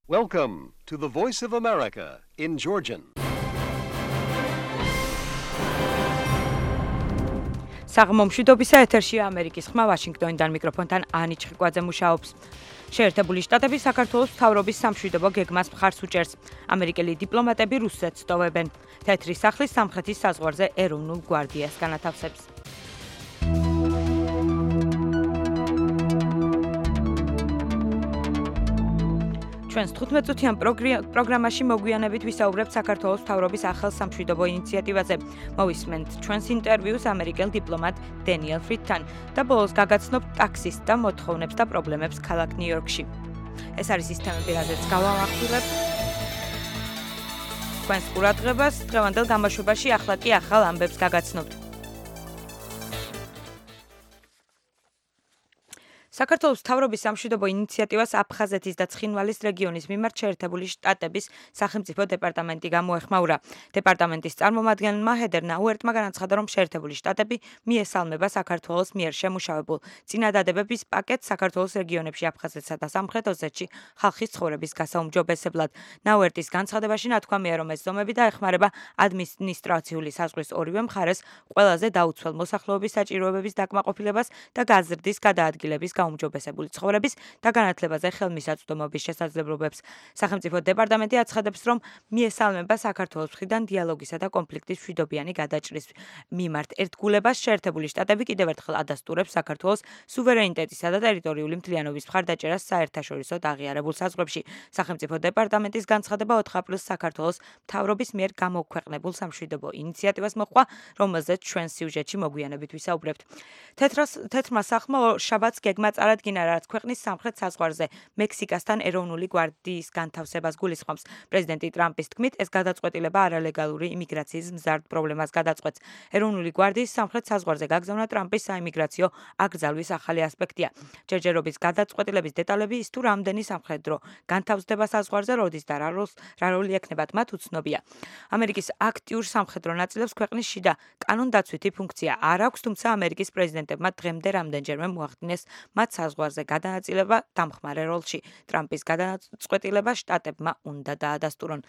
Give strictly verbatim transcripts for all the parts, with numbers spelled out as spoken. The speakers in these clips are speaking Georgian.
Welcome to the Voice of America in Georgian. საღმომშვიდობისა ეთერშია ამერიკის ხმა ვაშინგტონიდან მიკროფონთან ანი ჩხიკვაძე მუშაობს. შეერთებული შტატები საქართველოს მთავრობის სამშვიდობო გეგმას მხარს უჭერს. ამერიკელი დიპლომატები რუსეთს ტოვებენ. თეთრი სახლის სამხრეთის საზღვარზე ეროვნულ გვარდიას განათავსებს. ჩვენს თხუთმეტწუთიან პროგრამაში მოგვიანებით ვისაუბრებთ საქართველოს მთავრობის ახალ სამშვიდობო ინიციატივაზე. მოვისმენთ ჩვენს ინტერვიუს ამერიკელ დიპლომატ დენიელ ფრიდთან და ბოლოს გაგაცნობთ ტაქსის და მოთხოვნებს და პრობლემებს ქალაქ ნიუ-იორკში. ეს არის ის თემები, რაზეც გავამახვილებ. თქვენს ყურადღებას დღევანდელ გამოშვებაში ახლა კი ახალ ამბებს გაგაცნობთ. საქართველოს მთავრობის სამშვიდობო ინიციატივას აფხაზეთის და ცხინვალის რეგიონის მიმართ შეერთებული შტატების სახელმწიფო დეპარტამენტი გამოეხმაურა. დეპარტამენტის წარმომადგენელმა ჰედერ ნაუერტმა განაცხადა, რომ შეერთებული შტატები მიესალმება საქართველოს მიერ შემუშავებულ წინადადებების პაკეტს საქართველოს რეგიონებში აფხაზეთსა და სამხრეთ ოსეთში ხალხის ცხოვრების გასაუმჯობესებლად. ნაუერტის განცხადებაში ნათქვამია, რომ ეს ზომები დაეხმარება ადმინისტრაციული საზღვრის ორივე მხარეს ყველაზე დაუცველ მოსახლეობის საჭიროებების დაკმაყოფილებას და გაზრდის გადაადგილების გაუმჯობესებული ცხოვრების და განათლებაზე ხელმისაწვდომობის შესაძლებლობებს. სახელმწიფო დეპარტამენტი აცხადებს, რომ მიესალმება საქართველოს მხრიდან დიალოგისა და კონფლიქტის მშვიდობიანი გადაჭრის მიმართ ერთგულებას. შეერთებული შტატები კიდევ ერთხელ ადასტურებს საქართველოს სუვერენიტეტისა და ტერიტორიული მთლიანობის მხარდაჭერას საერთაშორისო აღიარებულ საზღვრებში. სახელმწიფო დეპარტამენტის განცხადება ოთხ აპრილს საქართველოს მთავრობის მიერ გამოქვეყნებულ სამშვიდობო ინიციატივას მოჰყვა, რომელზეც ჩვენ სიუჟეტში მოგვიანებით ვისაუბრებთ. თეთრმა სახლმა შაბათს გეგმა წარადგინა, რაც ქვეყნის სამხრეთ საზღვარზე მექსიკასთან ეროვნული გვარდიის განთავსებას გულისხმობს. პრეზიდენტი ტრამპის თქმით, ეს გადაწყვეტილება არალეგალური იმიგრაციის მზარდ პრობლემას გადაწყვეტს. ეროვნული გვარდიის სამხრეთ საზღვარზე გაგზავნა ტრამპის საიმიგრაციო აკრძალვის ახალი ასპექტია. ჯერჯერობის გადაწყვეტილების დეტალები ის თუ რამდენი სამხედრო განთავსდება საზღვარზე როდის და რა როლი ექნებათ მათ უცნობია. ამერიკის აქტიურ სამხედრო ნაწილებს ქვეყნის შიდა კანონდაცვითი ფუნქცია არ აქვს, თუმცა ამერიკის პრეზიდენტებმა დღემდე რამდენჯერმე მოახდინეს მათ საზღვარზე გადანაწილება დამხმარე როლში. ტრამპის გადაწყვეტილება შტატებმა უნდა დაადასტურონ.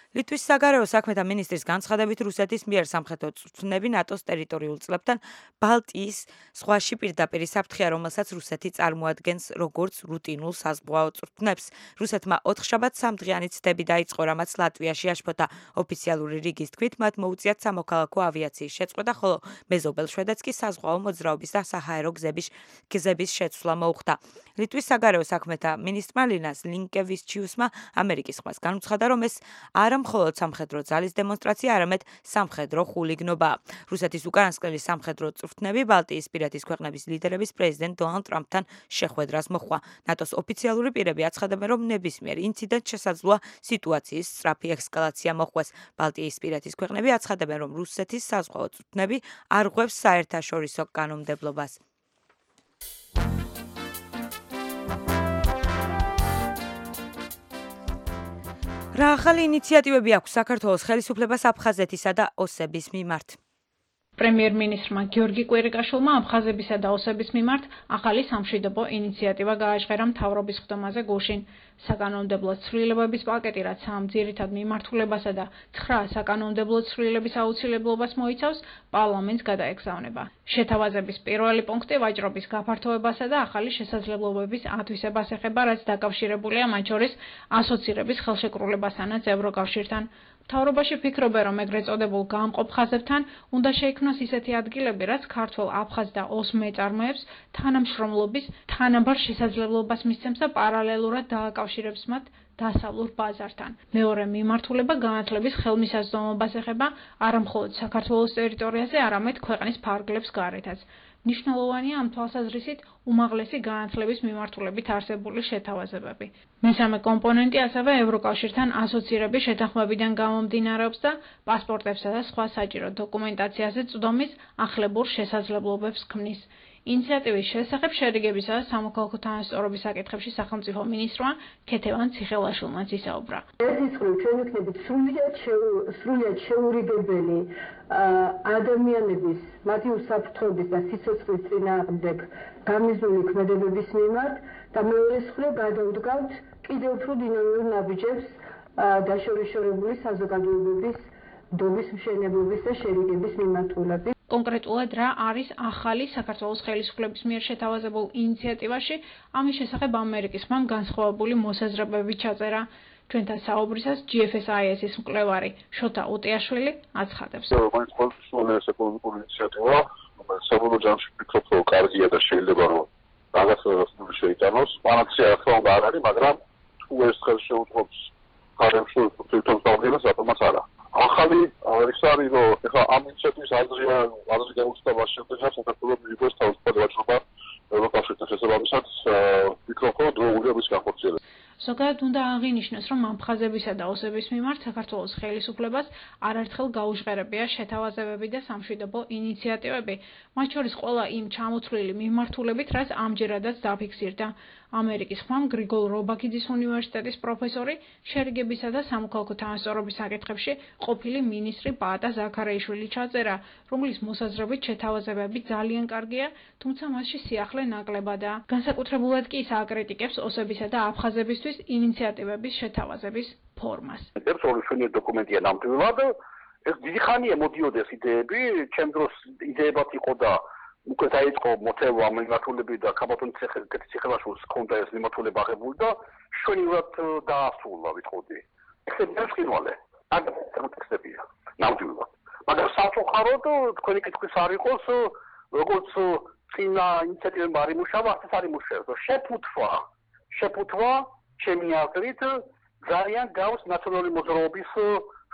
ლიტვის საგარეო საქმეთა მინისტრის განცხადებით, რუსეთის მიერ სამხედრო წვრთნები ნატოს ტერიტორიულ წყლებთან ბალტიის ზღვაში პირდაპირ საფრთხეა, რომელსაც რუსეთი წარმოადგენს როგორც რუტინულ საზღვაო წვრთნებს. რუსეთმა ოთხშაბათს სამდღიანი ცდები დაიწყო, რამაც ლატვიაში აშფოთა. ოფიციალური რიგის თქმით, მათ მოუწიათ სამოქალაქო ავიაციის შეწყვეტა, ხოლო მეზობელ შვედეთს კი საზღვაო მოძრაობის და საჰაერო გზების გზების შეცვლა მოუხდა. ლიტვის საგარეო საქმეთა მინისტრმა ლინას ლინკევიჩიუსმა ამერიკის ხმას განუცხადა, რომ ეს არა მხოლოდ სამხედრო ძალის დემონსტრაცია, არამედ სამხედრო ხულიგნობაა. რუსეთის უკანასკნელი სამხედრო წვრთნები ბალტიისპირეთის ქვეყნების ლიდერების პრეზიდენტ დონალდ ტრამპთან შეხვედრას მოჰყვა. ნატოს ოფიციალური პირები აცხადებენ, რომ ნებისმიერ ინციდენტს შესაძლოა სიტუაციის სწრაფი ესკალაცია მოჰყვეს. ბალტიისპირეთის ქვეყნები აცხადებენ, რომ რუსეთის საზღვაო წვრთნები არ ღვევს საერთაშორისო კანონმდებლობას. რა ახალი ინიციატივები აქვს საქართველოს ხელისუფლებას აფხაზეთისა და ოსების მიმართ? პრემიერ-მინისტრმა გიორგი კვირიკაშვილმა აფხაზებისა და ოსების მიმართ ახალი სამშვიდობო ინიციატივა გააჟღერა მთავრობის ხდომაზე გუშინ. საკანონმდებლო ცვლილებების პაკეტი, რაც ამ ძირითად მიმართულებასა და ცხრა საკანონმდებლო ცვლილების აუცილებლობას მოიცავს, პარლამენტს გადაეგზავნება. შეთავაზების პირველი პუნქტი ვაჭრობის გაფართოებასა და ახალი შესაძლებლობების ათვისებას ეხება, რაც დაკავშირებულია მათ შორის ასოცირების ხელშეკრულებასთანაც ევროკავშირთან. მთავრობაში ფიქრობენ, რომ ეგრეთ წოდებულ გამყოფ ხაზებთან უნდა შეიქმნას ისეთი ადგილები, რაც ქართველ, აფხაზ და ოს მეწარმეებს თანამშრომლობის თანაბარ შესაძლებლობას მისცემს და პარალელურად დააკავშირებს მათ დასავლურ ბაზართან. მეორე მიმართულება განათლების ხელმისაწვდომობას ეხება არა მხოლოდ საქართველოს ტერიტორიაზე, არამედ ქვეყნის ფარგლებს გარეთაც. მნიშვნელოვანია ამ თვალსაზრისით უმაღლესი განათლების მიმართულებით არსებული შეთავაზებები. მესამე კომპონენტი ასევე ევროკავშირთან ასოცირების შეთანხმებიდან გამომდინარეობს და პასპორტებსა და სხვა საჭირო დოკუმენტაციაზე წვდომის ახლებურ შესაძლებლობებს ქმნის. ინიციატივის შესახებ შერიგებისა და სამოქალაქო თანასწორობის საკითხებში სახელმწიფო მინისტრმა ქეთევან ციხელაშვილმაც ისაუბრა. ერთის მხრივ ჩვენ ვიქნებით სრულიად შეურიგებელი ადამიანების მათი უსაფრთხოების და სიცოცხლის წინააღმდეგ გამიზნული ქმედებების მიმართ და მეორე მხრივ გადავდგავთ კიდევ უფრო დინამიურ ნაბიჯებს დაშორიშორებული საზოგადოებების დობის მშენებლობის და შერიგების მიმართულებით. კონკრეტულად რა არის ახალი საქართველოს ხელისუფლების მიერ შეთავაზებულ ინიციატივაში, ამის შესახებ ამერიკის ხმამ განსხვავებული მოსაზრებები ჩაწერა. ჩვენთან საუბრისას G F S I S-ის მკვლევარი შოთა უტიაშვილი აცხადებს. მაინც ყოველთვის ეკონომიკური ინიციატივა, რომელიც საბოლოო ჯამში ვფიქრობ, რომ კარგია და შეიძლება რომ რაღაც შეიტანოს. პანაცეა ხო არ არის, მაგრამ თუ ეს ხელს შეუწყობს ფარემში თვითონ დავდგენას, რატომაც არა. ახალი ის არის, რომ ეხლა ამ ინიციატივის აზრია, აზრი გაუჩნდება შედეგად საქართველოს მიიღოს თავისუფლად ვაჭრობა ევროკავშირთან შესაბამისად, ვფიქრობ, რომ დროულია მის განხორციელებას. ზოგადად უნდა აღინიშნოს, რომ აფხაზებისა და ოსების მიმართ საქართველოს ხელისუფლებას არაერთხელ გაუჟღერებია შეთავაზებები და სამშვიდობო ინიციატივები, მათ შორის ყველა იმ ჩამოთვლილი მიმართულებით, რაც ამჯერადაც დაფიქსირდა. ამერიკის ხმამ გრიგოლ რობაქიძის უნივერსიტეტის პროფესორი შერიგებისა და სამოქალაქო თანასწორობის საკითხებში ყოფილი მინისტრი პაატა ზაქარაიშვილი ჩაწერა, რომლის მოსაზრებით შეთავაზებები ძალიან კარგია, თუმცა მასში სიახლე ნაკლებადაა. განსაკუთრებულად კი ის აკრიტიკებს ოსებისა და აფხაზებისთვის ინიციატივების შეთავაზების ფორმას. ეს ორი ჩვენი დოკუმენტია ნამდვილად. ეს დიდი ხანია მოდიოდეს იდეები, ჩემ დროს იდეებად იყო და უკვე დაიწყო მოთელვა მიმართულებით და ქაბატონის ციხელაშვილს ჰქონდა ეს მიმართულება აღებული და შვენივრად დაასრულა ვიტყოდი. ეს დასკინვალე. აგრეთვე ტექსტებია ნამდვილად. მაგრამ სამწუხაროდ თქვენი კითხვის არ იყოს, როგორც წინა ინიციატივებმა არ იმუშავა, ასე არ იმუშავებს. შეფუთვა, შეფუთვა ჩემი აზრით ძალიან გავს ნაციონალური მოძრაობის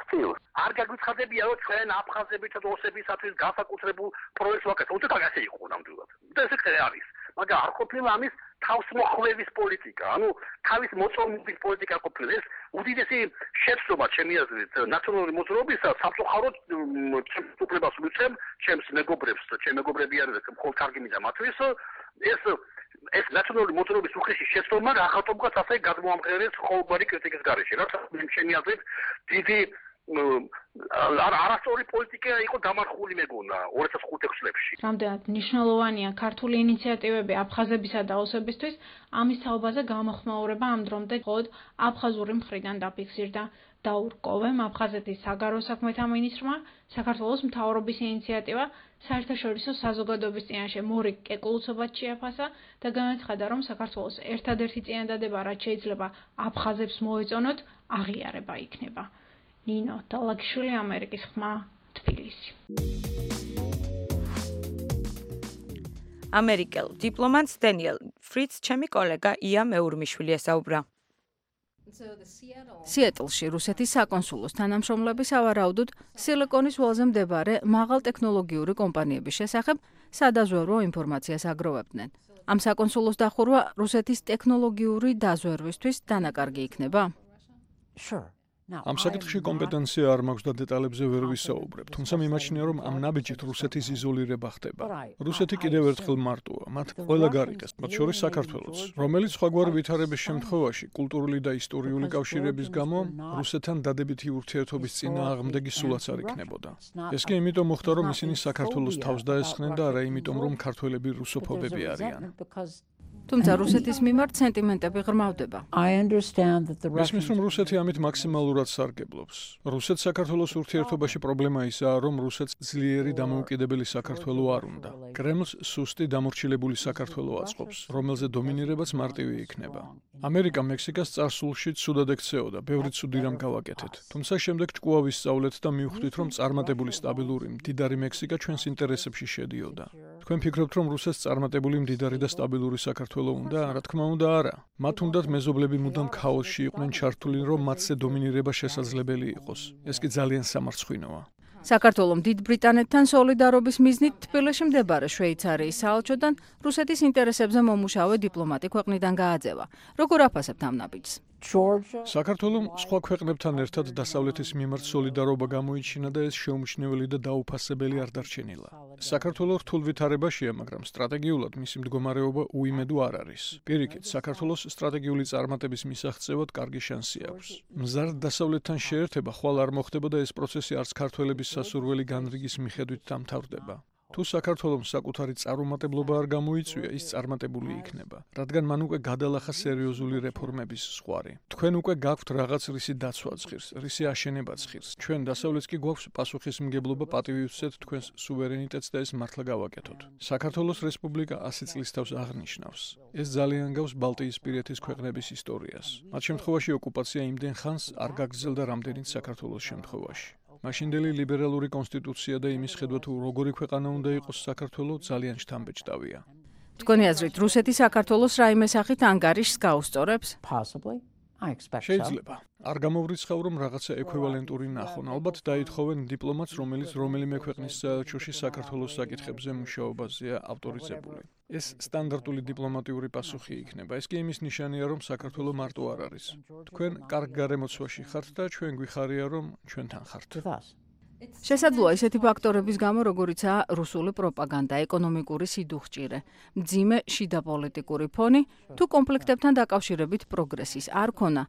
სტილს. არ გაგვიცხადებია, რომ ჩვენ აფხაზებითა და ოსებისათვის განსაკუთრებულ პროექტს ვაკეთებთ. უცებ ასე იყო ნამდვილად. და ეს კი არის. მაგრამ არ ყოფილა ამის თავსმოხვევის პოლიტიკა. ანუ თავის მოწონების პოლიტიკა ყოფილა. ეს უდიდესი შეცდომა ჩემი აზრით ნაციონალური მოძრაობისა სამწუხაროდ ჩემს უფლებას მივცემ, ჩემს მეგობრებს, ჩემი მეგობრები არიან, მხოლოდ კარგი მინდა მათთვის. ეს ეს ნაციონალური მოძრაობის უხეში შეცდომა ახალწოდებას ასე გადმოამყარეს ყოველგვარი კრიტიკის გარეშე. რაც ჩემი აზრით დიდი არასწორი პოლიტიკა იყო დამარხული მეგონა ორი ათას ხუთი წლებში. რამდენად მნიშვნელოვანია ქართული ინიციატივები აფხაზებისა და ოსებისთვის, ამის თაობაზე გამოხმაურება ამ დრომდე მხოლოდ აფხაზური მხრიდან დაფიქსირდა. დაურ კოვემ, აფხაზეთის საგარეო საქმეთა მინისტრმა, საქართველოს მთავრობის ინიციატივა საერთაშორისო საზოგადოების წინაშე მორიგ კეკულუცობად შეაფასა და განაცხადა, რომ საქართველოს ერთადერთი წინადადება, რაც შეიძლება აფხაზებს მოეწონოთ, აღიარება იქნება. ნინო დალაგიშვილი, ამერიკის ხმა, თბილისი. ამერიკელ დიპლომატს დენიელ ფრიც ჩემი კოლეგა ია მეურმიშვილი ესაუბრა. სიეტლში რუსეთის საკონსულოს თანამშრომლები სავარაუდოდ სილიკონის ველზე მდებარე მაღალტექნოლოგიური კომპანიების შესახებ სადაზვერვო ინფორმაციას აგროვებდნენ. ამ საკონსულოს დახურვა რუსეთის ტექნოლოგიური დაზვერვისთვის დანაკარგი იქნება? ამ საკითხში კომპეტენცია არ მაქვს და დეტალებზე ვერ ვისაუბრებ, თუმცა მიმაჩნია, რომ ამ ნაბიჯით რუსეთის იზოლირება ხდება. რუსეთი კიდევ ერთხელ მარტოა, მათ ყველა გარიგას, მათ შორის საქართველოც, რომელიც სხვაგვარი ვითარების შემთხვევაში კულტურული და ისტორიული კავშირების გამო რუსეთთან დადებითი ურთიერთობის წინააღმდეგი სულაც არ იქნებოდა. ეს კი იმიტომ მოხდა, რომ ისინი საქართველოს თავს დაესხნენ და არა იმიტომ, რომ ქართველები რუსოფობები არიან. თუმცა რუსეთის მიმართ სენტიმენტები ღრმავდება. მესმის, რომ რუსეთი ამით მაქსიმალურად სარგებლობს. რუსეთს საქართველოს ურთიერთობაში პრობლემა ისაა, რომ რუსეთს ძლიერი დამოუკიდებელი საქართველო არ უნდა. კრემლს სუსტი დამორჩილებული საქართველო აწყობს, რომელზე დომინირებაც მარტივი იქნება. ამერიკა მექსიკას წარსულში ცუდად ექცეოდა, ბევრი ცუდი რამ გავაკეთეთ. თუმცა შემდეგ ჭკუა ვისწავლეთ და მივხვდით, რომ წარმატებული სტაბილური მდიდარი მექსიკა ჩვენს ინტერესებში შედიოდა. თქვენ ფიქრობთ, რომ რუსეთს წარმატებული მდიდარი და სტაბილური საქართველო უნდა, რა თქმა უნდა არა. მათ უნდათ მეზობლები მუდამ ქაოსში იყვნენ ჩართული, რომ მათზე დომინირება შესაძლებელი იყოს. ეს კი ძალიან სამარცხვინოა. საქართველოს დიდ ბრიტანეთთან სოლიდარობის მიზნით თბილისში მდებარე შვეიცარიის საელჩოდან რუსეთის ინტერესებზე მომუშავე დიპლომატი ქვეყნიდან გააძევა. როგორ აფასებთ ამ ნაბიჯს? საქართველოს სხვა ქვეყნებთან ერთად დასავლეთის მიმართ სოლიდარობა გამოიჩინა და ეს შეუმჩნეველი და დაუფასებელი არ დარჩენილა. საქართველოს რთულ ვითარებაშია, მაგრამ სტრატეგიულად მისი მდგომარეობა უიმედო არ არის. პირიქით, საქართველოს სტრატეგიული წარმატების მისაღწევად კარგი შანსი აქვს. მზარდ დასავლეთთან შეერთება ხვალ არ მოხდება და ეს პროცესი არც ქართველების სასურველი განრიგის მიხედვით დამთავრდება. თუ საქართველოს საკუთარი წარუმატებლობა არ გამოიწვია, ის წარმატებული იქნება, რადგან მან უკვე გადალახა სერიოზული რეფორმების ზღვარი. თქვენ უკვე გაქვთ რაღაც რისი დაცვაც ღირს, რისი აშენებაც ღირს. ჩვენ დასავლეთს კი გვაქვს პასუხისმგებლობა პატივისცეთ თქვენს სუვერენიტეტს და ეს მართლა გავაკეთოთ. საქართველოს რესპუბლიკა ასი წლის თავს აღნიშნავს. ეს ძალიან გავს ბალტიისპირეთის ქვეყნების ისტორიას. მათ შემთხვევაში ოკუპაცია იმდენ ხანს არ გაგრძელდა რამდენიც საქართველოს შემთხვევაში. მაშინდელი ლიბერალური კონსტიტუცია და იმის ხედვა თუ როგორი ქვეყანა უნდა იყოს საქართველო ძალიან შთამბეჭდავია. თქვენი აზრით, რუსეთი საქართველოს რაიმე სახით ანგარიშს გაუსწორებს? შეიძლება. არ გამოვრიცხავ, რომ რაღაცა ექვივალენტური ნახონ. ალბათ დაითხოვენ დიპლომატს, რომელიც რომელიმე ქვეყნის საელჩოში საქართველოს საკითხებზე მუშაობაზეა ავტორიზებული. ეს სტანდარტული დიპლომატიური პასუხი იქნება. ეს კი იმის ნიშანია, რომ საქართველო მარტო არ არის. თქვენ კარგ გარემოცვაში ხართ და ჩვენ გვიხარია, რომ ჩვენთან ხართ. შესაძლოა ისეთი ფაქტორების გამო, როგორიცაა რუსული პროპაგანდა, ეკონომიკური სიდუხჭირე, მძიმე შიდა პოლიტიკური ფონი, თუ კონფლიქტებთან დაკავშირებით პროგრესის არ ქონა,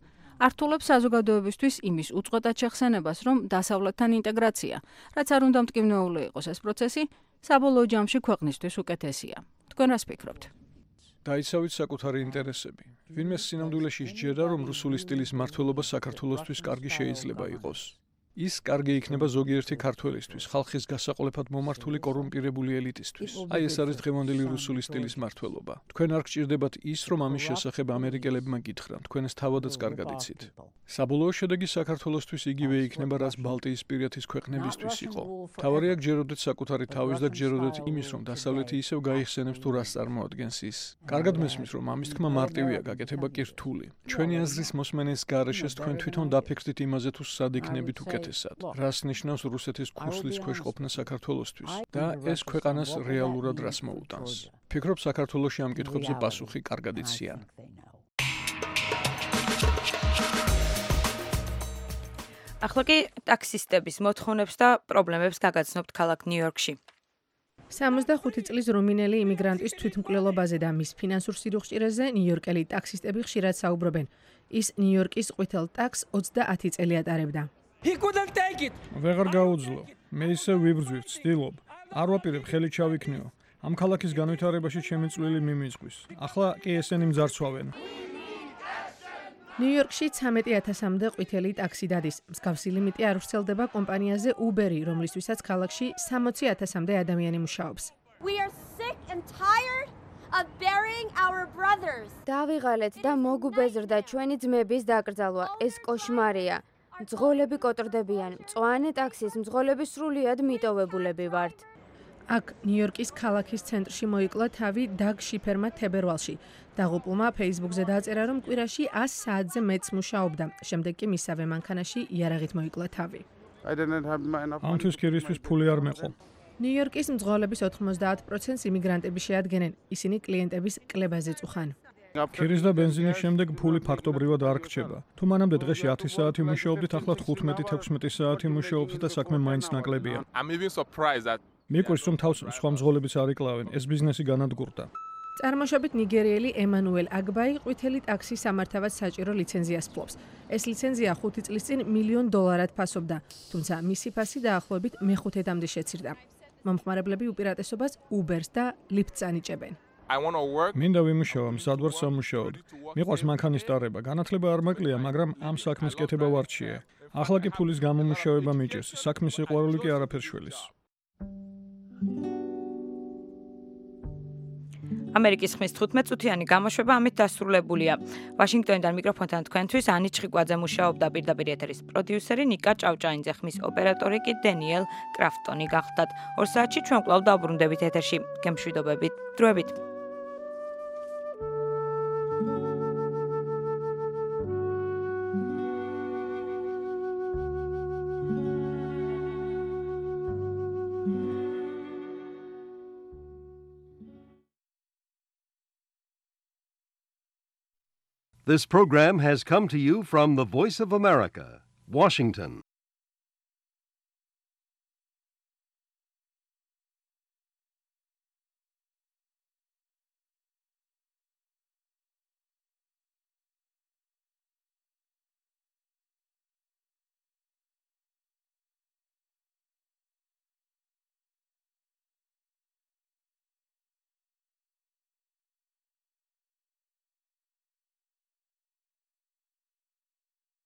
ართულებს საზოგადოებისთვის იმის უწყვეტად შეხსენებას, რომ დასავლეთთან ინტეგრაცია, რაც არ უნდა მტკივნეული იყოს ეს პროცესი, საბოლოო ჯამში ქვეყნისთვის უკეთესია. თქვენ რას ფიქრობთ? დაიცავით საკუთარი ინტერესები. ვინმე სინამდვილეში სჯერა, რომ რუსული სტილის მმართველობა საქართველოსთვის კარგი შეიძლება იყოს. ის კარგი იქნება ზოგიერთი ქართველისთვის, ხალხის გასაყოლებად მომართული კორუმპირებული ელიტისთვის. აი ეს არის დღევანდელი რუსული სტილის მმართველობა. თქვენ არ გჭირდებათ ის, რომ ამის შესახებ ამერიკელებმა გითხრან, თქვენ ეს თავადაც კარგად იცით. საბოლოო შედეგი საქართველოსთვის იგივე იქნება, რაც ბალტიისპირეთის ქვეყნებისთვის იყო. თავარია გჯეროდეთ საკუთარი თავის და გჯეროდეთ იმის, რომ დასავლეთი ისევ გაიხსენებს თუ რას წარმოადგენს ის. კარგად მესმის, რომ ამის თქმა მარტივია, გაკეთება კი რთული. ჩვენი აზრის მოსმენის გარეშე თქვენ თვითონ დაფიქრდით იმაზე, თუ სად იქნებით უკეთესად. რას ნიშნავს რუსეთის ქუსლის ქვეშ ყოფნა საქართველოსთვის და ეს ქვეყანას რეალურად რას მოუტანს. ფიქრობ, საქართველოში ამ კითხვებზე პასუხი კარგად იციან. ახლა კი ტაქსისტების მოთხოვნებს და პრობლემებს გაგაცნობთ ქალაქ ნიუ-იორკში. სამოცდახუთი წლის რუმინელი იმიგრანტის თვითმკვლელობაზე და მის ფინანსურ სიდუხჭირეზე ნიუ-იორკელი ტაქსისტები ხშირად საუბრობენ. ის ნიუ-იორკის ყვითელ ტაქსს ოცდაათი წელი ატარებდა. ვეღარ გაუძლო. მე ისე ვიბრძვი, ვცდილობ. არ ვაპირებ ხელი ჩავიქნიო. ამ ქალაქის განვითარებაში ჩემი წვლილი მიმიზღვის. ახლა კი ესენი მძარცვავენ. ნიუ-იორკში ცამეტი ათასამდე ყვითელი ტაქსი დადის. მსგავსი ლიმიტი არ ვრცელდება კომპანიაზე Uber-ი, რომლისთვისაც ქალაქში სამოცი ათასამდე ადამიანი მუშაობს. დავიღალეთ და მოგუბეზრდა ჩვენი ძმების დაკრძალვა. ეს კოშმარია. მძღოლები კოტრდებიან. მწვანე ტაქსის მძღოლები სრულიად მიტოვებულები ვართ. აქ ნიუ-იორკის ქალაქის ცენტრში მოიკლა თავი დაგ შიფერმა თებერვალში. დაღუპულმა Facebook-ზე დააწერა, რომ კვირაში ას საათზე მეც მუშაობდა. შემდეგ კი მისავე მანქანაში იარაღით მოიკლა თავი. ამთვის ქირისთვის ფული არ მეყო. ნიუ-იორკის მძღოლების ოთხმოცდაათ პროცენტს იმიგრანტები შეადგენენ. ისინი კლიენტების კლებაზე წუხან. ქირის და ბენზინის შემდეგ ფული ფაქტობრივად არ რჩება. თუ მანამდე დღეში ათი საათი მუშაობდით, ახლა თხუთმეტი-თექვსმეტი საათი მუშაობთ და საქმე მაინც ნაკლებია. მიყვარს, რომ თავს სხვა მძღოლებიც არ იკლავენ, ეს ბიზნესი განადგურდა. წარმოშობით ნიგერიელი ემანუელ აგბაი ყვითელი ტაქსის სამართავად საჭირო ლიცენზიას ფლობს. ეს ლიცენზია ხუთი წლის წინ მილიონ დოლარად ფასობდა, თუმცა მისი ფასი დაახლოებით მეხუთედამდე შეცირდა. მომხმარებლები უპირატესობას Uber-ს და Lyft-ს ანიჭებენ. მინდა ვიმუშავა, მზად ვარ სამუშაოდ. მიყვარს მანქანის ტარება, განათლება არ მაკლია, მაგრამ ამ საქმის კეთება ვარჩიე. ახლა კი ფულის გამომუშავება მიჭირს, საქმის სიყვარული კი არაფერს შველის. ამერიკის ხმის თხუთმეტ-წუთიანი გამოშვება ამით დასრულებულია. ვაშინგტონიდან მიკროფონთან თქვენთვის ანი ჩხიკვაძე მუშაობდა, პირდაპირ ეთერის პროდიუსერი ნიკა ჭავჭაინძე, ხმის ოპერატორი კი დენიელ კრაფტონი გახლდათ. ორ საათში ჩვენ კვლავ დავბრუნდებით ეთერში. გემშვიდობებით. დროებით. This program has come to you from the Voice of America, Washington.